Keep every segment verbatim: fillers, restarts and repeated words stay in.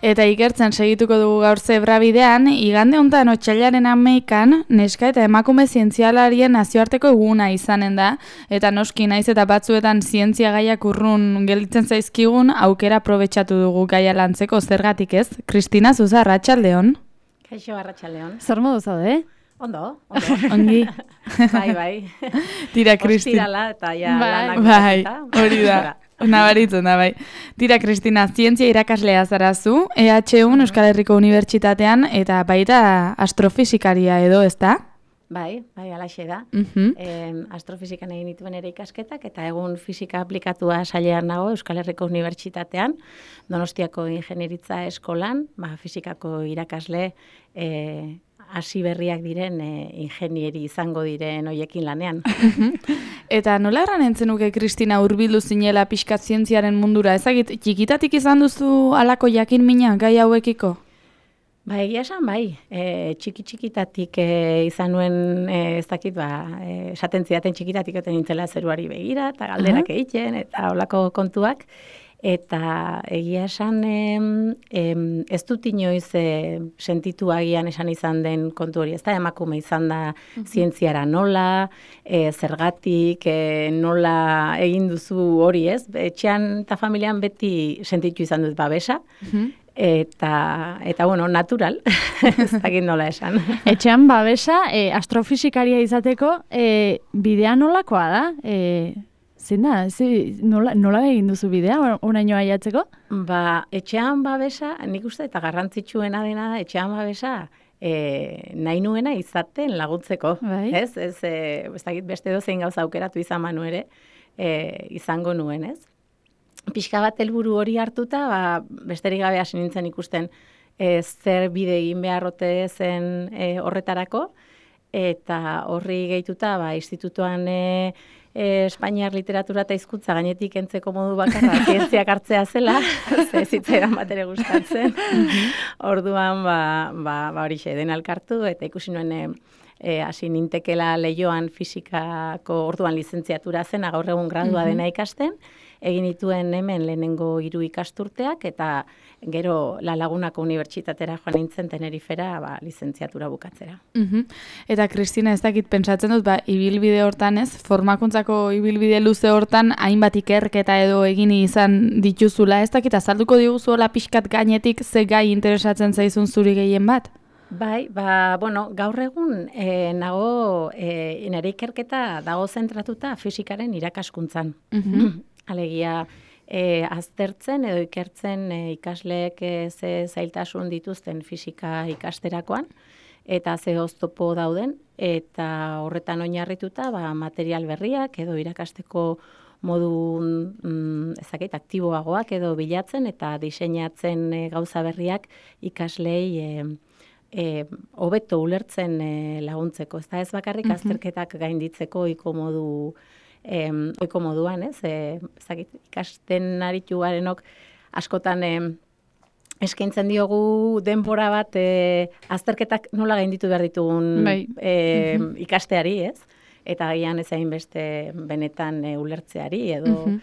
Eta ikertzen segituko dugu gaur zebrabidean, igande hontan otsailaren hamaikan neska eta emakume zientzialarien nazioarteko eguna izanen da, eta noski naiz eta batzuetan zientzia gaiak urrun gelditzen zaizkigun, aukera aprobetxatu dugu gaia lantzeko zergatik ez. Kristina Zuza, arratsaldeon. Kaixo, arratsaldeon. Zer modu zaude, eh? Ondo, ondo. Ongi. Bai, bai. Tira, Kristina. Ostirala eta ja bai, lanak bai, hori da. Nabaritzen da, bai. Tira, Kristina, zientzia irakaslea zarazu, E H U Euskal Herriko Unibertsitatean, eta baita astrofisikaria edo, ez da? Bai, bai, alaxe da. Uh-huh. eh, astrofisikan egin dituen ere ikasketak, eta egun fisika aplikatua sailean nago Euskal Herriko Unibertsitatean, Donostiako Ingenieritza Eskolan, ba, fisikako irakasle, eh, hasi berriak diren e, ingenieri izango diren hoiekin lanean. Eta nola erran entzenuke, Kristina, hurbildu zinela pixkat zientziaren mundura? Ezagit, txikitatik izan duzu halako jakin mina gai hauekiko? Ba, egia esan, bai. E, txiki txikitatik e, izan nuen, e, ez dakit, ba, e, esaten zidaten txikitatik oten nintzela zeruari begira, eta galderak uh-huh. egiten, eta holako kontuak. Eta egia esan em, em, ez dut inoiz e, sentitu agian esan izan den kontu hori, ez da emakume izan da uh-huh. zientziara nola, e, zergatik, e, nola egin duzu hori, ez? Etxean eta familian beti sentitu izan dut babesa, uh-huh. eta, eta bueno, natural, ez dakit nola esan. Etxean babesa, e, astrofisikaria izateko, e, bidea nolakoa da? E, Zein da, nola, nola egin duzu bidea, oraino aiatzeko? Ba, etxean babesa, nik uste eta garrantzitsuena dena da, etxean babesa e, nahi nuena izaten laguntzeko. Bai. Ez, ez, e, ez dakit beste dozein gauza aukeratu izan manu ere, e, izango nuen, ez? Pixka bat helburu hori hartuta, ba, besterik gabe hasi nintzen ikusten e, zer bide egin beharrote zen e, horretarako, eta horri gehituta, ba, institutuan e, E, Espainiar literatura eta hizkuntza gainetik entzeko modu bakarra zientziak hartzea zela, ze zitzaidan bat ere gustatzen. Orduan, ba, ba, ba horixe, den alkartu, eta ikusi nuen e, hasi nintekela leioan fisikako orduan lizentziatura zen, gaur egun gradua dena ikasten, egin dituen hemen lehenengo hiru ikasturteak, eta gero La Lagunako Unibertsitatera joan nintzen Tenerifera ba, lizentziatura bukatzera. Uh-huh. Eta Kristina, ez dakit pentsatzen dut, ba, ibilbide hortan ez, formakuntzako ibilbide luze hortan, hainbat ikerketa edo egin izan dituzula, ez dakit azalduko diguzuela pixkat gainetik ze gai interesatzen zaizun zuri gehien bat? Bai, ba, bueno, gaur egun e, nago, e, nire ikerketa dago zentratuta fisikaren irakaskuntzan. Uh-huh. Alegia, e, aztertzen edo ikertzen e, ikasleek e, ze zailtasun dituzten fisika ikasterakoan, eta ze oztopo dauden, eta horretan oinarrituta ba, material berriak edo irakasteko modu mm, ezakit, aktiboagoak edo bilatzen eta diseinatzen e, gauza berriak ikaslei e, e, hobeto ulertzen e, laguntzeko. Ez da ez bakarrik azterketak gainditzeko iko modu Em, oiko moduan, ez, e, ezakit, ikasten aritu garenok askotan e, eskaintzen diogu denbora bat e, azterketak nola gainditu behar ditugun bai. e, ikasteari, ez? Eta gian ezain beste benetan e, ulertzeari edo, uh-huh.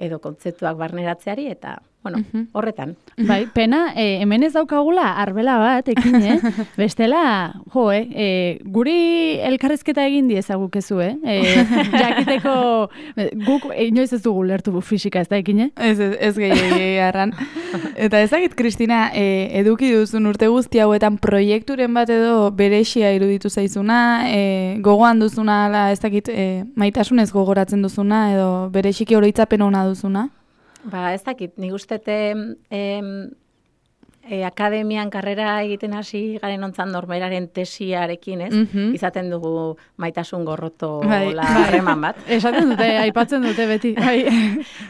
edo kontzeptuak barneratzeari, eta bueno, uh-huh. horretan. Bai, pena, e, hemen ez daukagula arbela bat, ekin, eh? Bestela, jo, eh? E, guri elkarrizketa egin diezagukezu, eh? E, jakiteko, guk inoiz ez dugu lertu fisika, ez da, ekin, eh? Ez, ez, ez gehi harran. Eta ezagit, Kristina, e, eduki duzun urte guzti hauetan proiekturen bat edo berexia iruditu zaizuna, e, gogoan duzuna, ala, ez dakit, e, maitasunez gogoratzen duzuna, edo berexiki oroitzapen ona duzuna? Ba, ez dakit, nik ustete em, e, akademian karrera egiten hasi garen ontzan norberaren tesiarekin, ez? Uh-huh. Izaten dugu maitasun gorroto bai, la harreman bat. Esaten dute, aipatzen dute beti. Bai.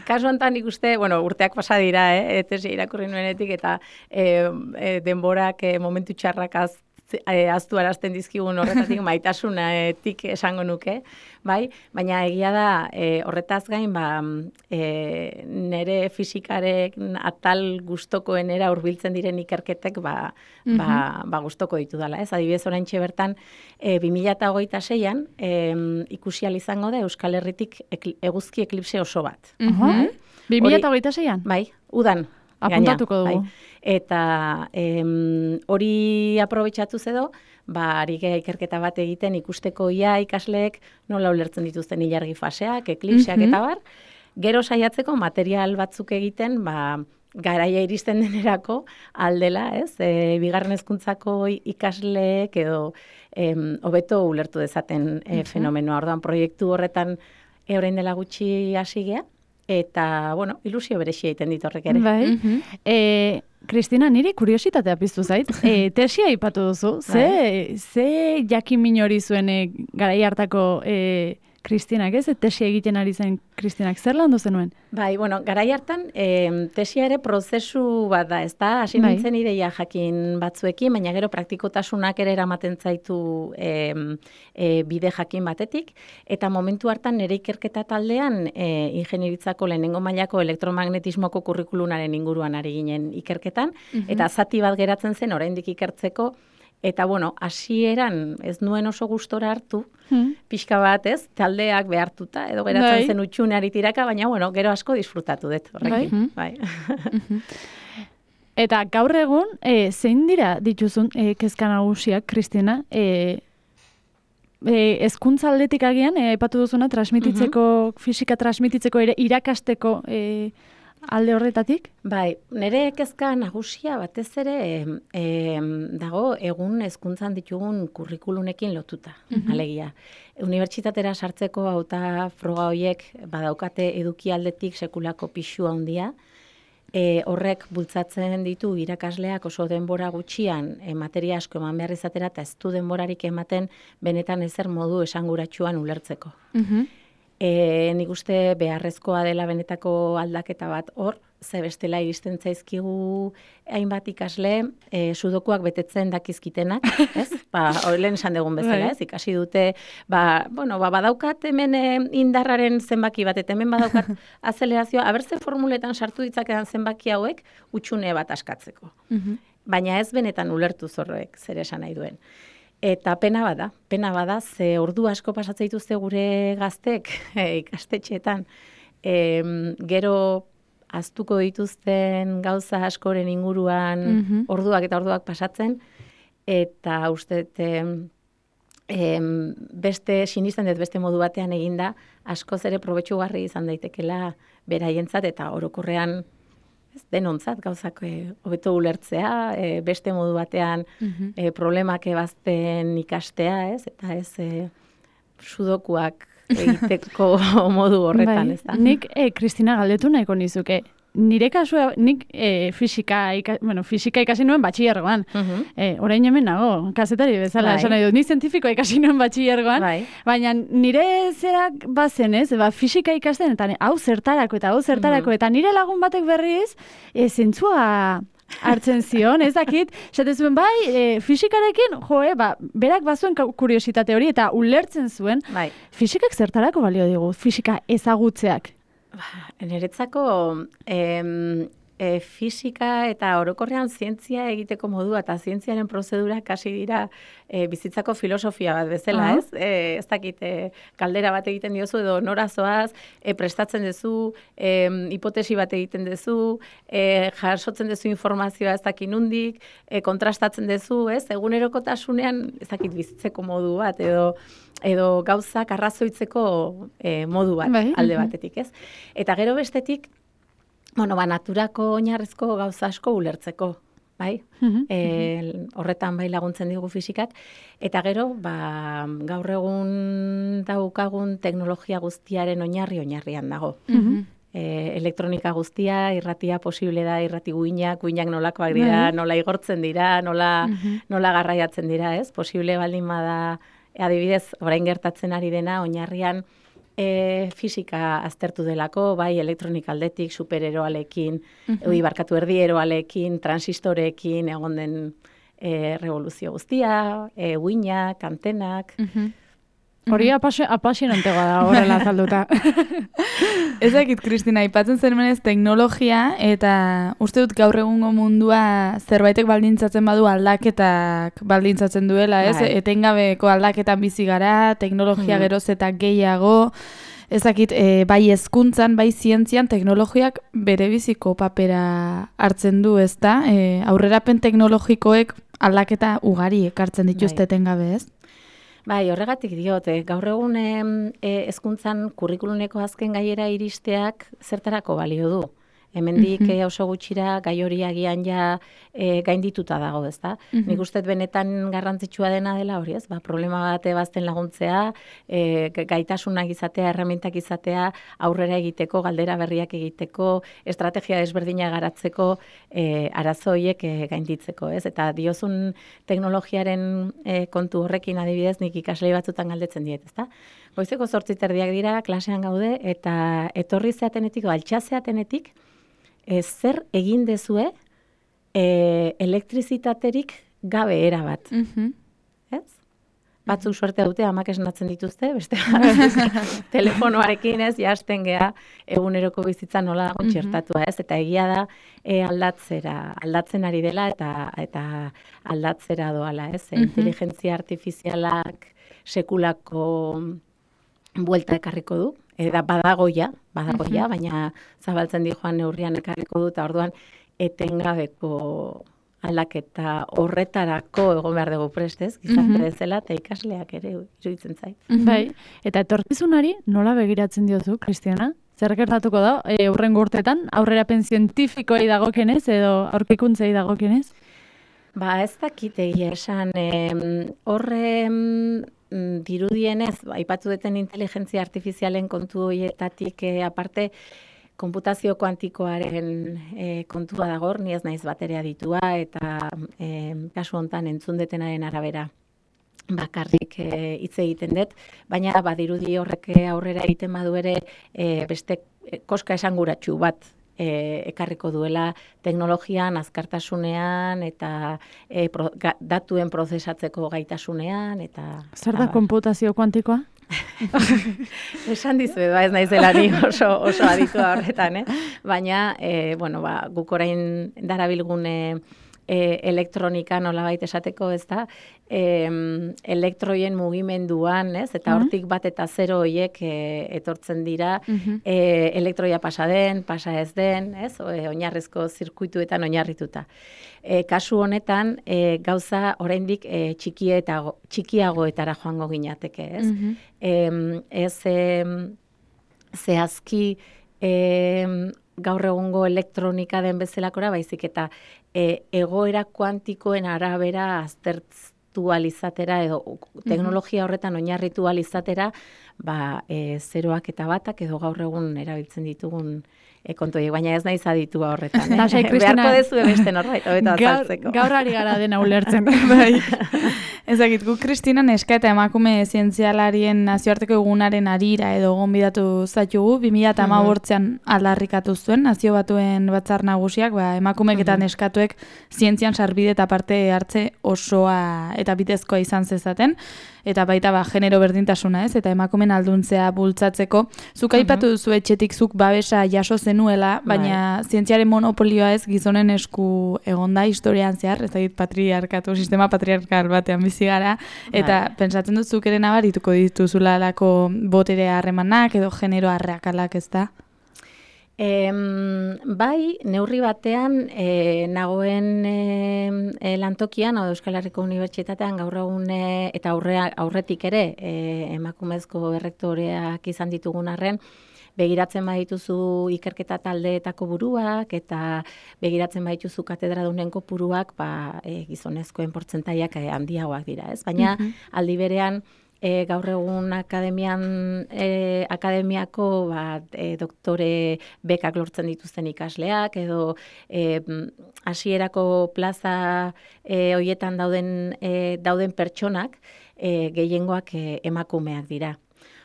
Kasu honetan nik uste, bueno, urteak pasa dira, eh? Tesia irakurri nuenetik, eta e, e, denborak e, momentu txarrak az, e, aztu arazten dizkigun horretatik maitasunetik esango nuke, bai? Baina egia da e, horretaz gain, ba, e, nere fisikaren atal gustokoenera hurbiltzen diren ikerketek ba, mm-hmm. ba, ba gustoko ditu dela. Ez? Adibidez oraintxe bertan e, bi mila hogeita seian e, ikusi ahal izango da Euskal Herritik ekli, eguzki eklipse oso bat. Mm-hmm. bi mila hogeita seian? Bai, udan. apuntatuko dugu. Bai. Eta em, hori aprobetxatuz edo, ba, ari gea ikerketa bat egiten ikusteko ia ikasleek nola ulertzen dituzten ilargi faseak, eklipseak Mhm. eta bar, gero saiatzeko material batzuk egiten, ba, garaia iristen denerako aldela, ez? E, bigarren hezkuntzako ikasleek edo em, hobeto ulertu dezaten e, fenomenoa. Orduan, proiektu horretan e, orain dela gutxi hasi gea, eta, bueno, ilusio berexia egiten dit horrek ere. Bai. Mhm. E, Kristina, niri kuriositatea piztu zait. E, tesia aipatu duzu. Ze, ze jakin min hori zuen e, garai hartako e, Kristinak, ez? Tesia egiten ari zen Kristinak. Zer landu zenuen? Bai, bueno, garai hartan, e, tesia ere prozesu bat da, ez da? Hasi Bai. nintzen ideia jakin batzuekin, baina gero praktikotasunak ere eramaten zaitu e, e, bide jakin batetik, eta momentu hartan nire ikerketa taldean e, ingenieritzako lehenengo mailako elektromagnetismoko kurrikulunaren inguruan ari ginen ikerketan, eta zati bat geratzen zen oraindik ikertzeko, eta bueno, hasieran ez nuen oso gustora hartu, Hmm. pixka bat, ez, taldeak behartuta, edo geratzen Bai. zen utxuneari tiraka, baina, bueno, gero asko disfrutatu dut horrekin. Bai. Eta gaur egun, e, zein dira dituzun e, kezka nagusiak, Kristina? E, e, hezkuntza aldetik agian, e, aipatu duzuna, transmititzeko, fisika transmititzeko ere irakasteko e, alde horretatik? Bai, nire kezka nagusia batez ere e, dago egun hezkuntzan ditugun kurrikulunekin lotuta, alegia. Unibertsitatera sartzeko hauta froga horiek badaukate eduki aldetik sekulako pixua handia, e, horrek bultzatzen ditu irakasleak oso denbora gutxian e, materia asko eman behar izatera eta ez du denborarik ematen benetan ezer modu esanguratsuan ulertzeko. Mhm. E, nik uste beharrezkoa dela benetako aldaketa bat hor, ze bestela iristen zaizkigu hainbat ikasle, e, sudokuak betetzen dakizkitenak, ez? Ba, hori lehen esan dugun bezala, ez? Ikasi dute, ba, bueno, ba, badaukat hemen e, indarraren zenbaki bat, eta hemen badaukat azelerazioa, abertze formuletan sartu ditzakedan zenbaki hauek, utxune bat askatzeko. Mhm. Baina ez benetan ulertu zorroek zer esan nahi duen. Eta pena bada, pena bada, ze ordu asko pasatzen dituzte gure gaztek e, ikastetxeetan. E, gero aztuko dituzten gauza askoren inguruan Mhm. orduak eta orduak pasatzen, eta uste dut, em, beste, sinisten dut beste modu batean eginda, askoz ere probetxugarri izan daitekela beraientzat, eta orokorrean ez denontzat gauzak e, hobeto ulertzea, e, beste modu batean Mhm. e, problemak ebazten ikastea, ez? Eta ez e, sudokuak egiteko modu horretan, Bai. ez da? Nik, e, Kristina, galdetu nahiko nizuke. Nire kasua, nik e, fisika, ika, bueno, fisika ikasi nuen batxilergoan. Mhm. E, orain hemen nago, kazetari bezala, Bai. esan nahi dut, ni zientifikoa ikasi nuen batxilergoan, Bai. baina nire zerak bazen, ez, ba, fisika ikasten, eta ne- hau zertarako, eta hau zertarako, eta nire lagun batek berriz, e, zentzua hartzen zion, ez dakit, esaten zuen, bai, e, fisikarekin, joe, ba, berak bazuen ka- kuriositate hori, eta ulertzen zuen, Bai. fisikak zertarako balio digu, fisika ezagutzeak. Niretzako em, e, fisika eta orokorrean zientzia egiteko modua eta zientziaren prozedurak hasi dira e, bizitzako filosofia bat bezala, Aha. ez? E, ez dakit, e, kaldera bat egiten diozu edo norazoaz, e, prestatzen duzu, e, hipotesi bat egiten duzu, e, jasotzen duzu informazioa ez dakit nundik, e, kontrastatzen duzu, ez? Egunerokotasunean ez dakit bizitzeko modu bat edo edo gauzak arrazoitzeko e, modu bat Bai, alde mhm. batetik, ez? Eta gero bestetik, bueno, ba, naturako oinarrezko gauza asko ulertzeko, bai? Mhm, E, horretan bai laguntzen digu fisikak. Eta gero, ba, gaur egun daukagun teknologia guztiaren oinarri oinarrian dago. Mhm. E, elektronika guztia, irratia posible da, irrati guinak, guinak nolakoak dira, Bai. nola igortzen dira, nola, nola garraiatzen dira, ez? Posible baldin bada, adibidez, orain gertatzen ari dena, oinarrian e, fisika aztertu delako, bai elektronika aldetik, supereroalekin, oi, barkatu erdieroalekin, transistoreekin, egon den e, revoluzio guztia, e, guinak, antenak. Mhm. Hori apasio- apasionantegoa da horrela azalduta. Ez dakit, Kristina, aipatzen zenmenez teknologia, eta uste dut gaur egungo mundua zerbaitek baldintzatzen badu aldaketak baldintzatzen duela, ez? Bai. Etengabeko aldaketan bizi gara, teknologia Mhm. geroz eta gehiago, ezakit, e, bai hezkuntzan, bai zientzian, teknologiak berebiziko papera hartzen du, ezta? E, aurrerapen teknologikoek aldaketa ugari ekartzen dituzte etengabe, ez? Bai, horregatik diot, eh, gaur egun eh, hezkuntzan kurrikuluneko azken gaiera iristeak zertarako balio du. Hemendik mm -hmm. oso gutxira gai hori agian ja e, gaindituta dago, ezta? Mm -hmm. Nik uste benetan garrantzitsua dena dela hori, ez? Ba, problema bat ebazten laguntzea, e, gaitasunak izatea, erremintak izatea, aurrera egiteko, galdera berriak egiteko, estrategia desberdina garatzeko, e, arazo horiek e, gainditzeko, ez? Eta diozun teknologiaren e, kontu horrekin adibidez, nik ikaslei batzutan galdetzen diet, ezta? Goizeko zortzi terdiak dira, klasean gaude, eta etorri zeatenetik, altxa zeatenetik, E, zer egin dezue e, elektrizitaterik gabe erabat. Mm -hmm. Ez? Batzuk suerte dute amak esnatzen dituzte, beste telefonoarekin ez, jasten gea eguneroko bizitza nola dago txertatua, ez? Eta egia da e, aldatzera, aldatzen ari dela eta eta aldatzera doala, ez? Mm -hmm. Inteligentzia artifizialak sekulako buelta ekarriko du. Eta badagoia, badagoia, uh-huh. baina zabaltzen di joan neurrian ekarriko dut, orduan etengabeko aldaketa horretarako egon behar dugu prestez, gizarte bezala, eta ikasleak ere iruditzen zait. Uh-huh. Bai, eta etorkizunari nola begiratzen diozu, Kristiana? Zer gertatuko da, e, hurrengo urtetan, aurrerapen zientifikoei dagokenez edo aurkikuntzei dagokenez? Ba, ez dakit egia esan, horre dirudienez, aipatu duten inteligentzia artifizialen kontu horietatik e, aparte, konputazio kuantikoaren e, kontua dago, ni ez naiz bateria ditua, eta e, kasu hontan entzun detenaren arabera bakarrik hitz e, egiten dut, baina badirudi horrek aurrera egiten badu ere e, beste koska esanguratsu bat E, ekarriko duela teknologian, azkartasunean eta e, pro, ga, datuen prozesatzeko gaitasunean. Eta zer da konputazio kuantikoa? Esan dizuet, ba, ez naizela ni oso, oso aditua horretan, eh? Baina e, bueno, ba, guk orain darabilgune e, elektronika nolabait esateko, ez da, e, elektroien mugimenduan, ez? Eta hortik bat eta zero horiek e, etortzen dira, uh-huh. e, elektroia pasa den, pasa ez den, ez? O, e, oinarrizko zirkuituetan oinarrituta. E, kasu honetan, e, gauza oraindik e, txikietago, txikiagoetara joango ginateke, ez? Uh-huh. e, ez e, zehazki e, gaur egungo elektronika den bezalakora, baizik eta e, egoera kuantikoen arabera aztertu alizatera edo teknologia horretan oinarritu alizatera, ba, e, zeroak eta batak edo gaur egun erabiltzen ditugun e, kontuei, baina ez naiz aditua horretan. Eh? Lasai, Kristina, beharko dezu beste norbait, hobeto azaltzeko. Gaur ari gara dena ulertzen. Bai. Ezagit, gu Kristina neska eta emakume zientzialarien nazioarteko egunaren arira edo gonbidatu zaitugu, bi mila hamabostean aldarrikatu zuen, nazio batuen batzar nagusiak, ba, emakumeek eta neskatuek zientzian sarbide eta parte hartze osoa eta bitezkoa izan zezaten, eta baita ba, genero berdintasuna ez, eta emakumen alduntzea bultzatzeko. Zuk aipatu duzu etxetik zuk babesa jaso zenuela, baina bai. Zientziaren monopolioa ez gizonen esku egonda historian zehar, ez dakit patriarkatu, sistema patriarkal batean bizi gara, eta bai. Pentsatzen dut zuk ere nabarituko dituzula lako botere harremanak edo genero arrakalak, ez da? E, bai, neurri batean e, nagoen e, lantokian, o Euskal Herriko Unibertsitatean gaur egun e, eta aurrea, aurretik ere e, emakumezko errektoreak izan ditugun arren, begiratzen badituzu ikerketa taldeetako buruak eta begiratzen badituzu katedradunen kopuruak, ba, e, gizonezkoen portzentaiak e, handiagoak dira, ez? Baina uh-huh. aldi berean E, gaur egun akademian, e, akademiako ba, e, doktore bekak lortzen dituzten ikasleak, edo e, hasierako plaza e, hoietan dauden, e, dauden pertsonak e, gehiengoak e, emakumeak dira.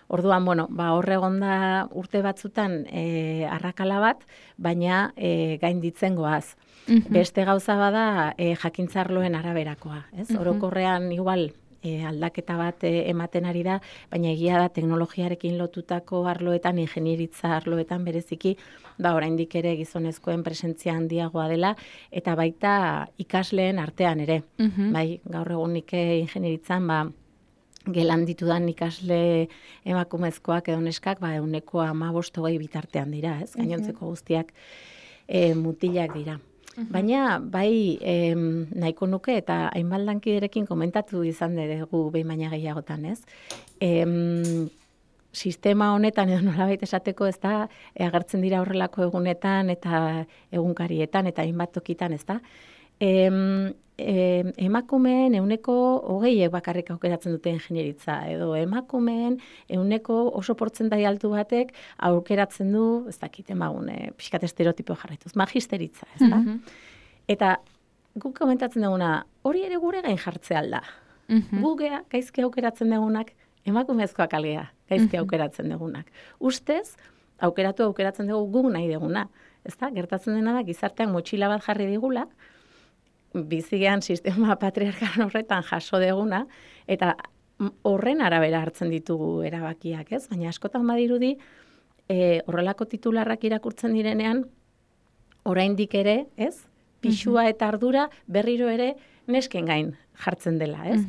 Orduan, bueno, ba, horre egonda urte batzutan e, arrakala bat, baina e, gainditzen goaz. Uh-huh. Beste gauza bada e, jakintzarloen araberakoa, ez? Uh-huh. Orokorrean igual, E, aldaketa bat e, ematen ari da, baina egia da teknologiarekin lotutako arloetan, ingenieritza arloetan bereziki, ba oraindik ere gizonezkoen presentzia handiagoa dela, eta baita ikasleen artean ere. Uh-huh. Bai, gaur egunik ingenieritzan, ba, gelan ditudan ikasle emakumezkoak edo neskak, ba, euneko hamabost hogei bitartean dira, ez? Gainontzeko guztiak e, mutilak dira. Baina, bai, em, nahiko nuke eta hainbat lankiderekin komentatu izan dugu behin baina gehiagotan, ez? Em, sistema honetan edo nolabait esateko ez da, agertzen dira horrelako egunetan eta egunkarietan eta hainbat tokitan, ez da? Em, em, emakumeen euneko hogeiek bakarrik aukeratzen dute ingenieritza, edo emakumeen euneko oso portzentai altu batek aukeratzen du, ez dakit emagune, pixkat estereotipo jarraituz, magisteritza, ez da? Eta guk komentatzen duguna, hori ere gure gain jartzea alda. Gu gea, gaizki aukeratzen dugunak, emakumezkoak algea, gaizki aukeratzen dugunak. Ustez, aukeratu aukeratzen dugu guk nahi duguna. Ez da, gertatzen dena da, gizartean motxila bat jarri digula, bizigean sistema patriarkal horretan jaso deguna, eta horren arabera hartzen ditugu erabakiak, ez? Baina askotan badirudi, e, horrelako titularrak irakurtzen direnean, oraindik ere, ez? Pixua eta ardura berriro ere nesken gain jartzen dela, ez?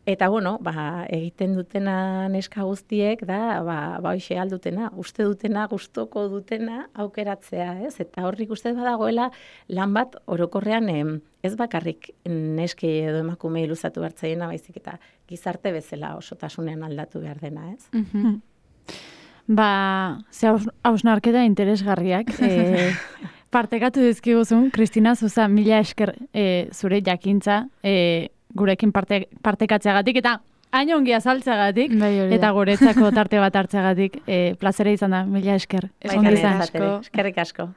Eta, bueno, ba, egiten dutena neska guztiek, da, ba, ba hoxe aldutena, uste dutena, gustoko dutena aukeratzea, ez? Eta horrik uste badagoela lan bat orokorrean em, ez bakarrik neskei edo emakumei luzatu hartzaiena, baizik eta gizarte bezala osotasunean aldatu behar dena, ez? Mm-hmm. Ba, ze hausnarketa interesgarriak. E, partekatu dizkiguzun, Kristina Zuza, mila esker e, zure jakintza, e, gurekin parte, partekatzeagatik, eta hain ongi azaltzeagatik, bai, eta guretzako tarte bat hartzeagatik, e, plazera izan da, mila esker. Bai, eskerrik asko.